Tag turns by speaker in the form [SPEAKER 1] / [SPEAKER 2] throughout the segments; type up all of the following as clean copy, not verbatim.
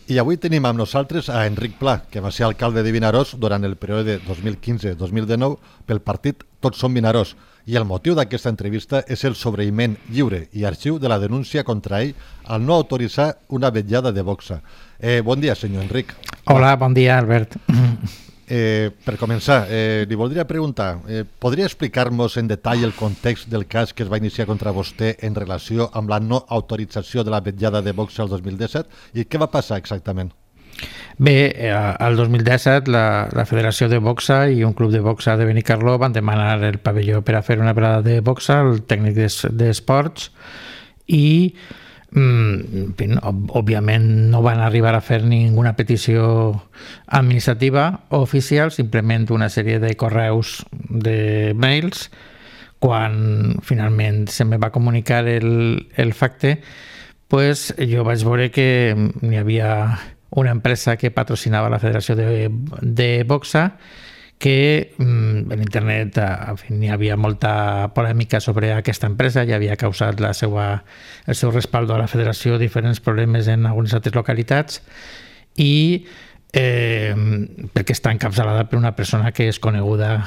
[SPEAKER 1] I avui tenim amb nosaltres a Enric Pla, que va ser alcalde de Vinaròs durant el període 2015-2019 pel partit Tots som Vinaròs. I el motiu d'aquesta entrevista és el sobreïment lliure i arxiu de la denúncia contra ell al no autoritzar una vetllada de boxa. Bon dia, senyor Enric.
[SPEAKER 2] Hola, bon dia, Albert.
[SPEAKER 1] Per començar, li voldria preguntar, podria explicar-nos en detall el context del cas que es va iniciar contra vostè en relació amb la no autorització de la vetllada de boxa el 2017 i què va passar exactament?
[SPEAKER 2] Bé, el 2017 la Federació de Boxa i un club de boxa de Benicarló van demanar el pavelló per a fer una velada de boxa al tècnic d'esports i òbviament no van arribar a fer ninguna petició administrativa o oficial, simplement una sèrie de correus de mails. Quan finalment se me va comunicar el facte, pues jo vaig veure que n'hi havia una empresa que patrocinava la Federació de Boxa, que en internet n'hi havia molta polèmica sobre aquesta empresa, ja havia causat el seu respaldo a la federació diferents problemes en algunes altres localitats i perquè està encapçalada per una persona que és coneguda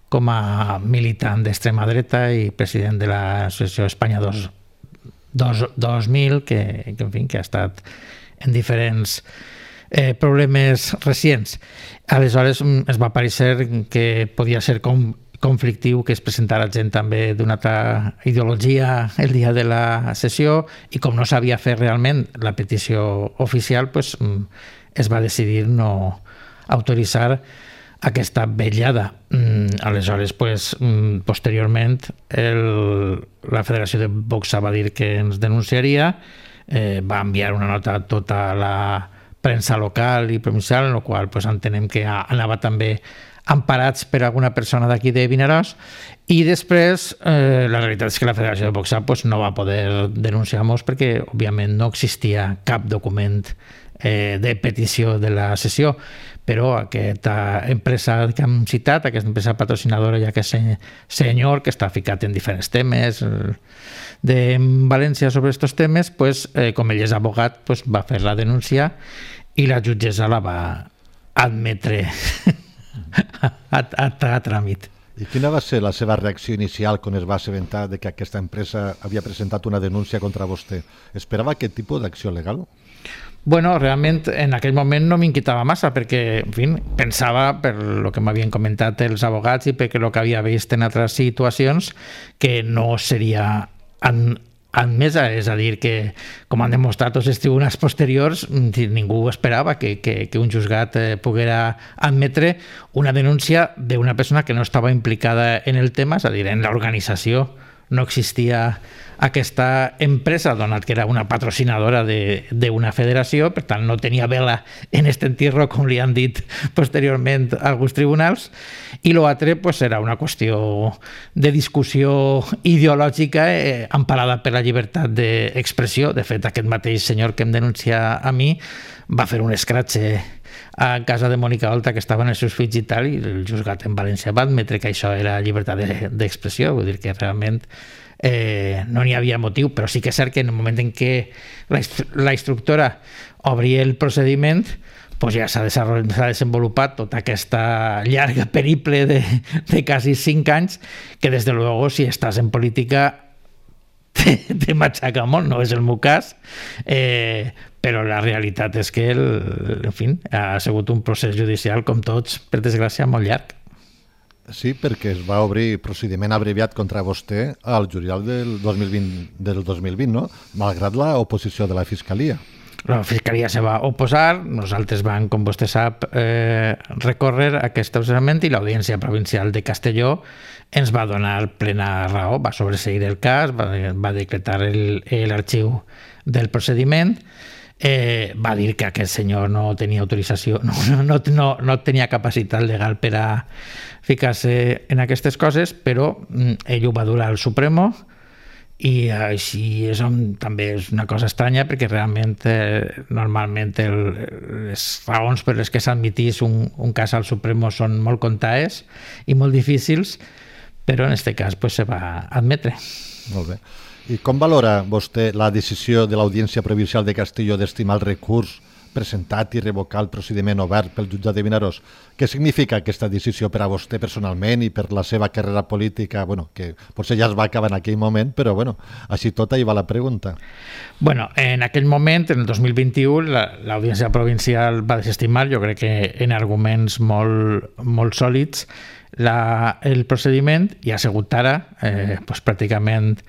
[SPEAKER 2] com a militant d'extrema dreta i president de l'Associació Espanya 2000, que ha estat en diferents problemes recents. Aleshores es va parecer que podia ser conflictiu que es presentara gent també d'una altra ideologia el dia de la sessió i com no sabia fer realment la petició oficial, pues, es va decidir no autoritzar aquesta vetllada. Aleshores, pues, posteriorment la Federació de Boxa va dir que ens denunciaria, va enviar una nota a tota la premsa local i provincial, en la qual pues, entenem que anava també emparats per alguna persona d'aquí de Vinaròs, i després la realitat és que la Federació de Boxa pues, no va poder denunciar-nos perquè òbviament no existia cap document de petició de la sessió, però aquesta empresa que hem citat, aquesta empresa patrocinadora, ja que és senyor que està ficat en diferents temes de València sobre aquests temes, pues, com ell és abogat, pues, va fer la denúncia i la jutgessa la va admetre a tràmit.
[SPEAKER 1] I quina va ser la seva reacció inicial quan es va assabentar de que aquesta empresa havia presentat una denúncia contra vostè? Esperava aquest tipus d'acció legal?
[SPEAKER 2] Bueno, realment en aquell moment no m'inquietava massa perquè, en fi, pensava, per el que m'havien comentat els abogats i perquè el que havia vist en altres situacions, que no seria admesa, és a dir, que com han demostrat tots els tribunals posteriors, ningú esperava que un juzgat poguera admetre una denúncia d'una persona que no estava implicada en el tema, és a dir, en l'organització. No existia aquesta empresa, donat que era una patrocinadora d'una federació, per tant no tenia vela en aquest entierro, com li han dit posteriorment alguns tribunals, i l'altre pues, era una qüestió de discussió ideològica emparada per la llibertat d'expressió. De fet, aquest mateix senyor que em denuncia a mi va fer un escratxe a casa de Mònica Oltra, que estaven els seus fills i tal, i el juzgat en València va admetre que això era llibertat d'expressió, vull dir que realment no n'hi havia motiu, però sí que és cert que en el moment en què la instructora obria el procediment, pues ja s'ha desenvolupat tota aquesta llarga periple de quasi 5 anys, que des de luego si estàs en política te matxaca molt, no és el meu cas, però la realitat és que en fi, ha sigut un procés judicial, com tots, per desgràcia, molt llarg.
[SPEAKER 1] Sí, perquè es va obrir procediment abreviat contra vostè al juliol del 2020, no? Malgrat l'oposició de la Fiscalia.
[SPEAKER 2] La Fiscalia se va oposar, nosaltres vam, com vostè sap, recórrer aquest procediment i l'Audiència Provincial de Castelló ens va donar plena raó, va sobreseir el cas, va decretar l'arxiu del procediment, va dir que aquest senyor no tenia autorització, no tenia capacitat legal per a ficar-se en aquestes coses, però ell ho va dur al Supremo i així també és una cosa estranya perquè realment normalment les raons per les que s'admitís un cas al Supremo són molt comptades i molt difícils, però en aquest cas se va admetre.
[SPEAKER 1] Molt bé. I com valora vostè la decisió de l'Audiència Provincial de Castelló d'estimar el recurs presentat i revocar el procediment obert pel jutjat de Vinaròs. Què significa aquesta decisió per a vostè personalment i per la seva carrera política? Bueno, que potser ja es va acabar en aquell moment, però bueno, així tot ahí va la pregunta.
[SPEAKER 2] Bueno, en aquell moment, en el 2021, l'Audiència Provincial va desestimar, jo crec que en arguments molt sòlids, el procediment, i ha sigut ara, pràcticament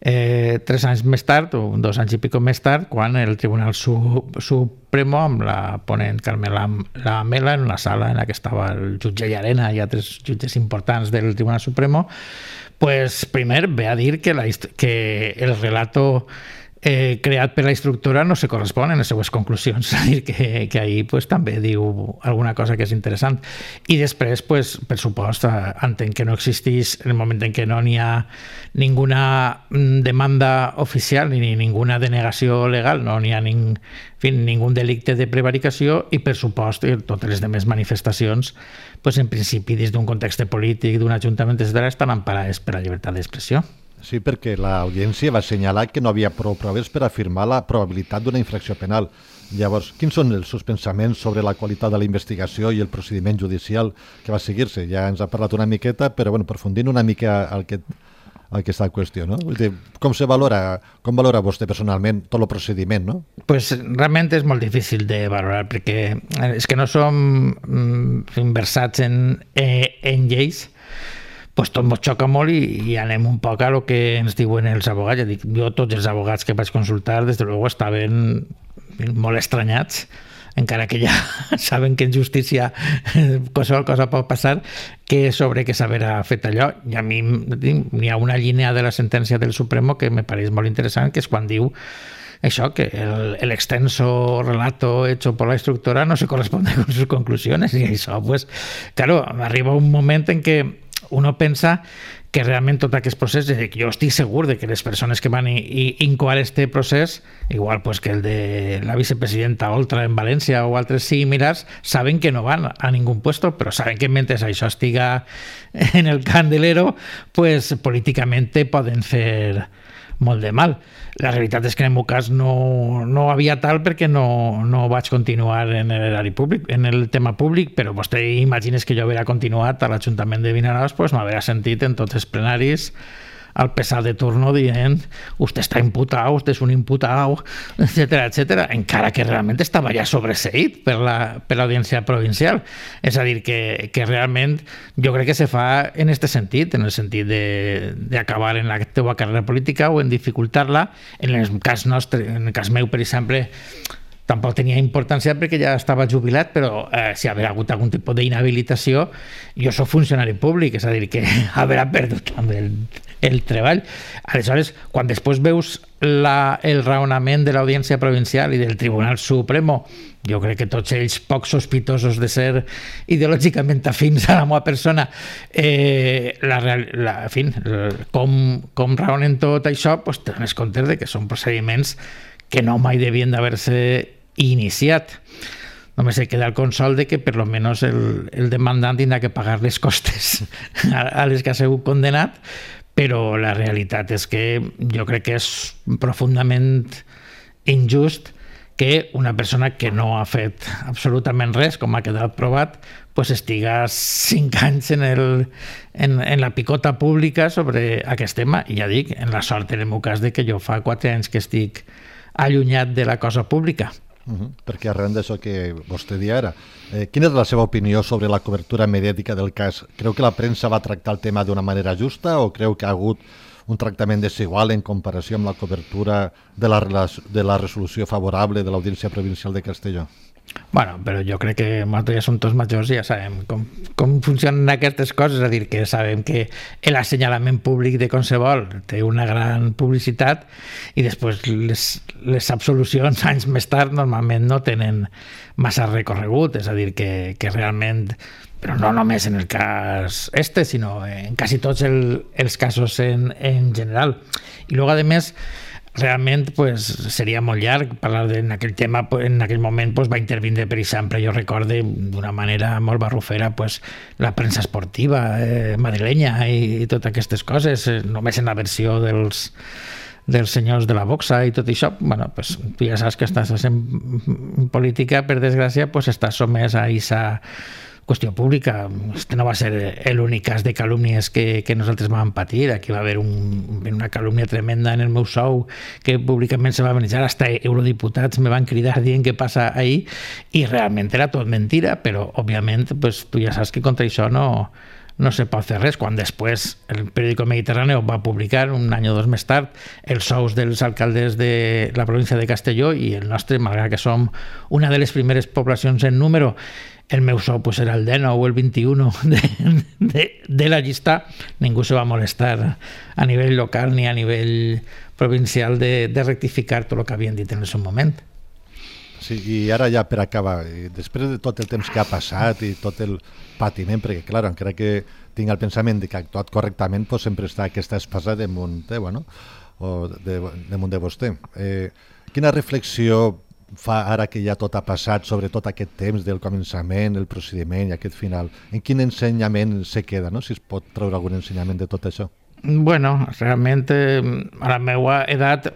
[SPEAKER 2] 3 anys més tard, o 2 anys i pico més tard, quan el Tribunal Supremo, amb la ponent Carmela Lamela, en una sala en la que estava el jutge Llarena i altres jutges importants del Tribunal Supremo, pues primer ve a dir que el relato creat per la instructora no se correspon en les seues conclusions, és a dir, que ahir pues, també diu alguna cosa que és interessant. I després, pues, per supost, entenc que no existeix en el moment en què no n'hi ha ninguna demanda oficial ni ninguna denegació legal, no n'hi ha ningú delicte de prevaricació i, per supost, totes les demés manifestacions, pues, en principi, des d'un context polític, d'un ajuntament, etc., estan emparades per la llibertat d'expressió.
[SPEAKER 1] Sí, perquè l'audiència va assenyalar que no havia prou proves per afirmar la probabilitat d'una infracció penal. Llavors, quins són els seus pensaments sobre la qualitat de la investigació i el procediment judicial que va seguir-se? Ja ens ha parlat una miqueta, però bueno, aprofundint una mica el que està en qüestió, no? Vull dir, com valora vostè personalment tot el procediment, no?
[SPEAKER 2] Pues realment és molt difícil de valorar, perquè és que no som versats en lleis, pues tot ens xoca molt i anem un poc a lo que ens diuen els abogats. Ja dic, jo tots els abogats que vaig consultar, des de luego, estaven molt estranyats, encara que ja saben que en justícia qualsevol cosa pot passar, que sobre que s'haverà fet allò. I a mi n'hi ha una línia de la sentència del Supremo que me pareix molt interessant, que és quan diu això, que el extenso relato hecho por la instructora no se corresponde con sus conclusiones. Y això, pues, claro, arriba un moment en què uno pensa que realment tot aquest procés, jo estic segur de que les persones que van incoar este procés, igual pues que el de la vicepresidenta Oltra en València o altres similars, saben que no van a ningún puesto, però saben que mentre això estiga en el candelero, pues políticament poden fer molt de mal. La realitat és que en el meu cas no havia tal perquè no vaig continuar en l'erari públic, en el tema públic, però vostè imagines que jo haguera continuat a l'Ajuntament de Vinaròs, pues m'haguera sentit en tots els plenaris al pesar de turno dient usted está imputado, usted es un imputado, etcètera, etcètera, encara que realment estava ja sobreseït per l'Audiència Provincial. És a dir, que realment jo crec que se fa en aquest sentit, en el sentit d'acabar en la teva carrera política o en dificultar-la. En el cas nostre, en el cas meu, per exemple, tampoc tenia importància perquè ja estava jubilat, però si haver hagut algun tipus d'inhabilitació, jo soc funcionari públic, és a dir, que haurà perdut també el treball. Aleshores, quan després veus el raonament de l'Audiència Provincial i del Tribunal Supremo, jo crec que tots ells poc sospitosos de ser ideològicament afins a la meva persona, com raonen tot això, pues, te dones compte de que són procediments que no mai devien d'haver-se iniciat. Només se queda el consol de que per lo menos el demandant tindrà que pagar les costes a les que ha sigut condenat, però la realitat és que jo crec que és profundament injust que una persona que no ha fet absolutament res, com ha quedat provat, pues estiga 5 anys en la picota pública sobre aquest tema. I ja dic, en la sort, en el meu cas, de que jo fa 4 anys que estic allunyat de la cosa pública.
[SPEAKER 1] Perquè arran d'això que vostè dia ara, quina és la seva opinió sobre la cobertura mediàtica del cas? Creu que la premsa va tractar el tema d'una manera justa o creu que ha hagut un tractament desigual en comparació amb la cobertura de la resolució favorable de l'Audiència Provincial de Castelló?
[SPEAKER 2] Bueno, però jo crec que nosaltres ja som tots majors i ja sabem com funcionen aquestes coses, és a dir, que sabem que l'assenyalament públic de qualsevol té una gran publicitat i després les absolucions anys més tard normalment no tenen massa recorregut, és a dir, que realment, però no només en el cas sinó en quasi tots els casos en general. I luego, a més, realment pues, seria molt llarg parlar en aquell tema. En aquell moment pues, va intervindre, per exemple, jo recorde d'una manera molt barrufera pues, la premsa esportiva madrilenya i totes aquestes coses, només en la versió dels dels senyors de la boxa i tot això, bueno, pues, tu ja saps que estàs en política, per desgràcia, pues, estàs somès a aquesta qüestió pública. Este no va ser l'únic cas de calúmnies que nosaltres vam patir. Aquí va haver una calúmnia tremenda en el meu sou que públicament se va manejar, hasta eurodiputats me van cridar dient què passa ahir, i realment era tot mentira, però òbviament pues, tu ja saps que contra això no se pot fer res. Quan després el periòdico Mediterráneo va publicar un any o dos més tard els sous dels alcaldes de la província de Castelló, i el nostre, malgrat que som una de les primeres poblacions en número, el meu sou pues, era el 19 o el 21 de la llista, ningú se va molestar a nivell local ni a nivell provincial de rectificar tot el que havien dit en el seu moment.
[SPEAKER 1] Sí, i ara ja per acabar, després de tot el temps que ha passat i tot el patiment, perquè clar, encara que tinc el pensament de que ha actuat correctament, pues, sempre està aquesta espasa damunt de vostè. Quina reflexió fa ara que ja tot ha passat sobre tot aquest temps del començament, el procediment i aquest final? En quin ensenyament se queda, no? Si es pot treure algun ensenyament de tot això?
[SPEAKER 2] Bueno, realment a la meva edat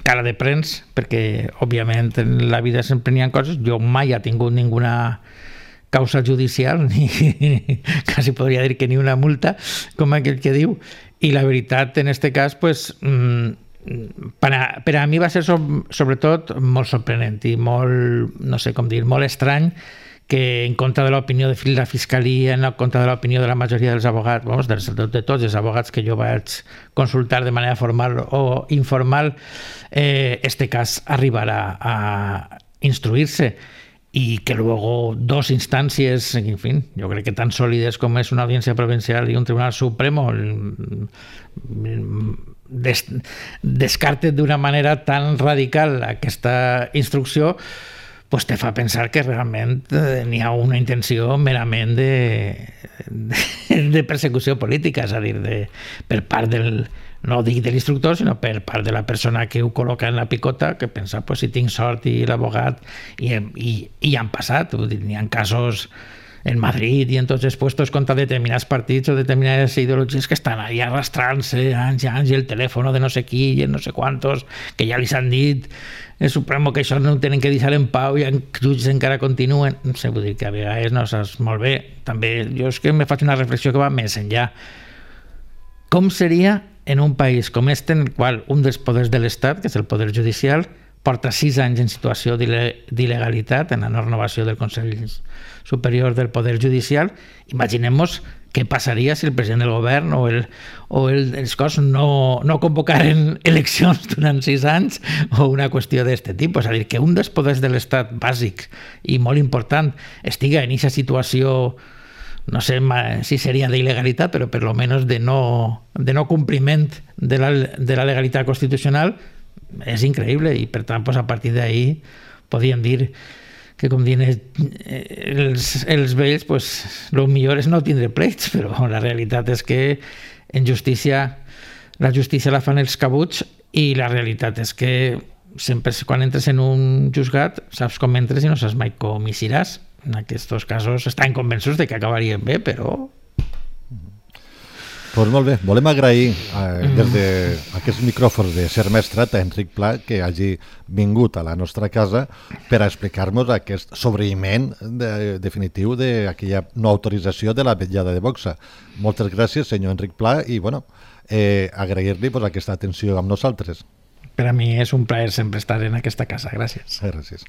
[SPEAKER 2] cara de prens, perquè òbviament en la vida sempre n'hi ha coses. Jo mai he tingut ninguna causa judicial, ni quasi podria dir que ni una multa, com aquell que diu, i la veritat en este cas pues, per a mi va ser sobretot molt sorprenent i molt, no sé com dir, molt estrany que en contra de l'opinió de la Fiscalia, en contra de l'opinió de la majoria dels abogats, de tots els abogats que jo vaig consultar de manera formal o informal, este cas arribarà a instruir-se, y que luego dos instancias, en fin, yo creo que tan sólidas como es una audiencia provincial y un tribunal supremo, descarten d'una manera tan radical aquesta instrucció, pues te fa pensar que realment n'hi ha una intenció merament de persecució política, és a dir, per part del, no dic de l'instructor, sinó per part de la persona que ho col·loca en la picota, que pensa, pues, si tinc sort i l'abogat, i han passat, n'hi ha casos en Madrid i en tots els puestos contra determinats partits o determinades ideologies que estan ahí arrastrant-se anys i anys, i el telèfon de no sé qui i no sé quantos, que ja li han dit el Supremo que això no ho tenen que deixar en pau i en jutges encara continuen. No sé, vull dir que a vegades no saps molt bé. També jo és que me faig una reflexió que va més enllà. Com seria en un país com este, en el qual un dels poders de l'Estat, que és el poder judicial, porta 6 anys en situació d'il·legalitat en la renovació del Consell Superior del Poder Judicial? Imaginem-nos què passaria si el president del govern o els cos no convocaren eleccions durant 6 anys o una qüestió d'aquest tipus. És a dir, que un dels poders de l'Estat bàsics i molt important estiga en aquesta situació, no sé si seria d'il·legalitat, però per lo menos de no compliment de la legalitat constitucional, és increïble. I per tant, pues, a partir d'ahí podíem dir que, com diuen els vells, pues, el millor és no tindre pleits, però la realitat és que en justícia la justícia la fan els cabuts, i la realitat és que sempre quan entres en un juzgat saps com entres i no saps mai com hi seràs. En aquests casos estan convençuts de que acabarien bé, però...
[SPEAKER 1] Doncs molt bé, volem agrair des d'aquests micròfons de Ser Maestrat a Enric Pla que hagi vingut a la nostra casa per a explicar-nos aquest sobreïment definitiu d'aquella no autorització de la vetllada de boxa. Moltes gràcies, senyor Enric Pla, i agrair-li aquesta atenció amb nosaltres.
[SPEAKER 2] Per a mi és un plaer sempre estar en aquesta casa. Gràcies.
[SPEAKER 1] Gràcies.